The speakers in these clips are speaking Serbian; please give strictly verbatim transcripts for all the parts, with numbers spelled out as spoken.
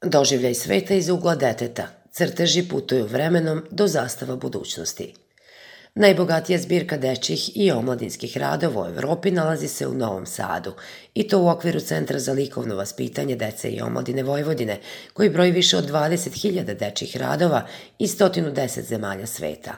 Doživljaj sveta iz ugla deteta. Crteži putuju vremenom do zastava budućnosti. Najbogatija zbirka dečjih i omladinskih radova u Evropi nalazi se u Novom Sadu, i to u okviru Centra za likovno vaspitanje dece i omladine Vojvodine, koji broji više od dvadeset hiljada dečjih radova iz sto deset zemalja sveta.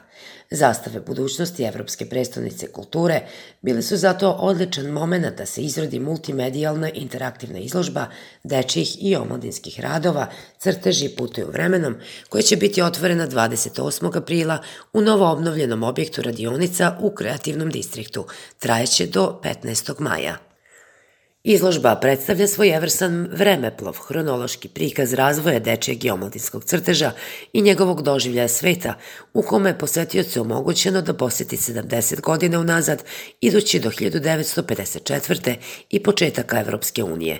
Zastave budućnosti Evropske prestonice kulture bile su zato odličan moment da se izrodi multimedijalna interaktivna izložba dečjih i omladinskih radova Crteži putuju vremenom, koja će biti otvorena dvadeset osmog aprila u novo obnovljenom objektu radionica u kreativnom distriktu. Trajeće do petnaestog maja. Izložba predstavlja svojevrsan vremeplov, hronološki prikaz razvoja dečijeg i omladinskog crteža i njegovog doživljaja sveta, u kome je posetiocu omogućeno da poseti sedamdeset godina unazad, idući do hiljadu devetsto pedeset četvrte. i početaka Evropske unije.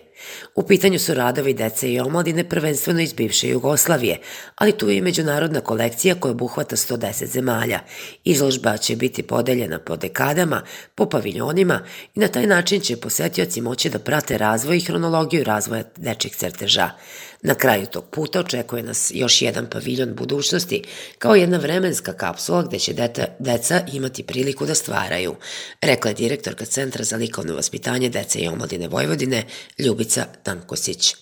U pitanju su radovi dece i omladine prvenstveno iz bivše Jugoslavije, ali tu je i međunarodna kolekcija koja obuhvata sto deset zemalja. Izložba će biti podeljena po dekadama, po paviljonima i na taj način će posetioci moći da prate razvoj i hronologiju razvoja dečjeg crteža. Na kraju tog puta očekuje nas još jedan paviljon budućnosti, kao jedna vremenska kapsula gde će deta, deca imati priliku da stvaraju, rekla je direktorka Centra za likovno vaspitanje dece i omladine Vojvodine Ljubica Tankosić.